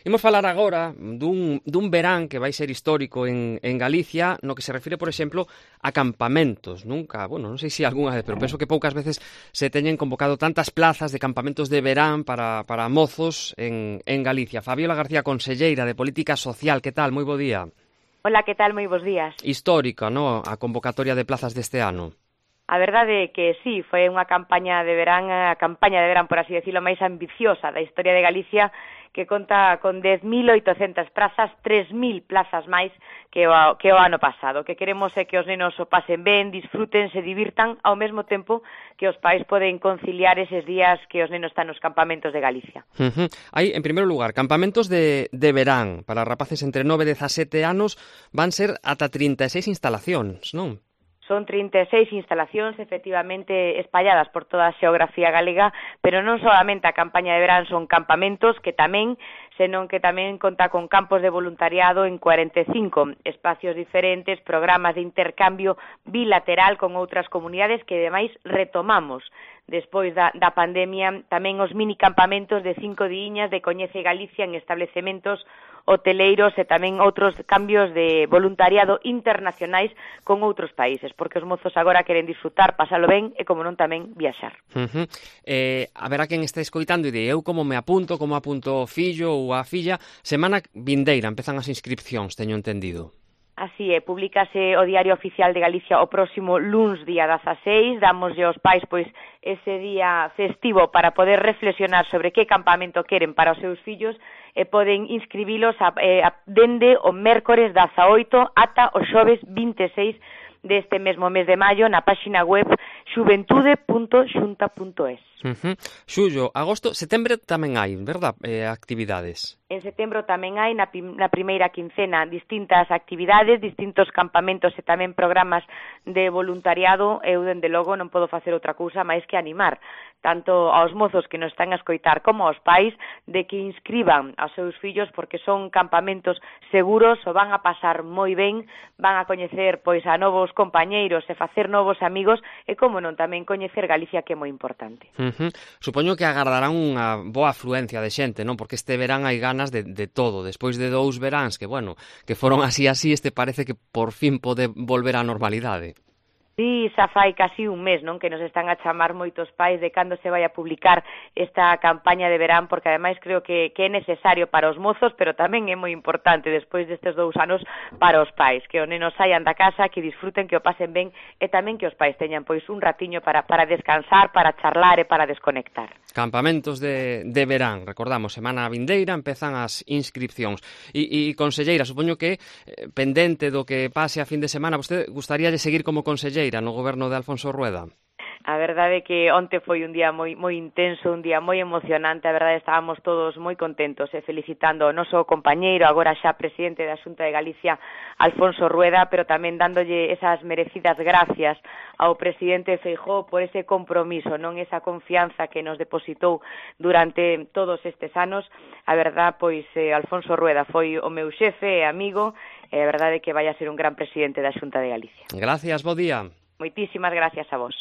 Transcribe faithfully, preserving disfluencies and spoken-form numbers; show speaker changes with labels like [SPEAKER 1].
[SPEAKER 1] Imos falar agora dun, dun verán que vai ser histórico en, en Galicia, no que se refire, por exemplo, a campamentos. Nunca, bueno, non sei se algunha vez, pero penso que poucas veces se teñen convocado tantas plazas de campamentos de verán para, para mozos en, en Galicia. Fabiola García, conselleira de Política Social, que tal? Moi bo día.
[SPEAKER 2] Hola, que tal? Moi bons días.
[SPEAKER 1] Histórica, no, a convocatoria de plazas deste ano.
[SPEAKER 2] A verdade é que sí, foi unha campaña de verán, a campaña de verán, por así decirlo, máis ambiciosa da historia de Galicia, que conta con dez mil oitocentas prazas, tres mil plazas máis que o, que o ano pasado. O que queremos é que os nenos o pasen ben, disfruten, se divirtan, ao mesmo tempo que os pais poden conciliar eses días que os nenos están nos campamentos de Galicia.
[SPEAKER 1] Uh-huh. Hai, en primeiro lugar, campamentos de, de verán para rapaces entre nove e dezasete anos, van ser ata trinta e seis instalacións, non?
[SPEAKER 2] Son trinta e seis instalacións, efectivamente, espalladas por toda a xeografía galega, pero non solamente a campaña de verán son campamentos, que tamén, senón que tamén conta con campos de voluntariado en cuarenta e cinco espacios diferentes, programas de intercambio bilateral con outras comunidades que, ademais, retomamos despois da, da pandemia, tamén os minicampamentos de cinco diñas de Coñece Galicia en establecementos hoteleiros e tamén outros cambios de voluntariado internacionais con outros países, porque os mozos agora queren disfrutar, pasalo ben e, como non, tamén viaxar.
[SPEAKER 1] Uh-huh. Eh, a ver a quen está escoitando e de eu como me apunto, como apunto o fillo ou a filla, semana vindeira empezan as inscripcións, teño entendido.
[SPEAKER 2] Así é, publícase o Diario Oficial de Galicia o próximo luns día dezaseis, damoslle aos pais pois ese día festivo para poder reflexionar sobre que campamento queren para os seus fillos e poden inscribilos a, eh, a, dende o mércores dezaoito ata o xoves vinte e seis deste mesmo mes de maio na páxina web xuventude punto xunta punto es.
[SPEAKER 1] Uh-huh. Xullo, agosto, setembro tamén hai, verdad, eh, actividades?
[SPEAKER 2] En setembro tamén hai, na, na primeira quincena, distintas actividades, distintos campamentos e tamén programas de voluntariado. Eu, dende logo, non podo facer outra cousa máis que animar tanto aos mozos que nos están a escoitar como aos pais de que inscriban aos seus fillos, porque son campamentos seguros, o van a pasar moi ben, van a coñecer pois a novos compañeiros e facer novos amigos e, como non, tamén coñecer Galicia, que é moi importante.
[SPEAKER 1] Uh-huh. Supoño que agardarán unha boa afluencia de xente, non? Porque este verán hai ganas de, de todo. Despois de dous veráns que, bueno, que foron así así, este parece que por fin pode volver á normalidade.
[SPEAKER 2] Sí, xa fai casi un mes, non, que nos están a chamar moitos pais de cando se vai a publicar esta campaña de verán, porque ademais creo que, que é necesario para os mozos, pero tamén é moi importante despois destes dous anos para os pais, que os nenos saian da casa, que disfruten, que o pasen ben e tamén que os pais teñan pois un ratiño para, para descansar, para charlar e para desconectar.
[SPEAKER 1] Campamentos de, de verán, recordamos, semana vindeira empezan as inscripcións. E, e conselleira, supoño que eh, pendente do que pase a fin de semana, vostede gustaría de seguir como conselleira no goberno de Alfonso Rueda?
[SPEAKER 2] A verdade é que onte foi un día moi moi intenso, un día moi emocionante, a verdade estábamos todos moi contentos e felicitando ao noso compañeiro, agora xa presidente da Xunta de Galicia, Alfonso Rueda, pero tamén dándolle esas merecidas gracias ao presidente Feijóo por ese compromiso, non esa confianza que nos depositou durante todos estes anos. A verdade, pois, eh, Alfonso Rueda foi o meu xefe e amigo, e a verdade é que vai a ser un gran presidente da Xunta de Galicia.
[SPEAKER 1] Gracias, bo día.
[SPEAKER 2] Moitísimas gracias a vos.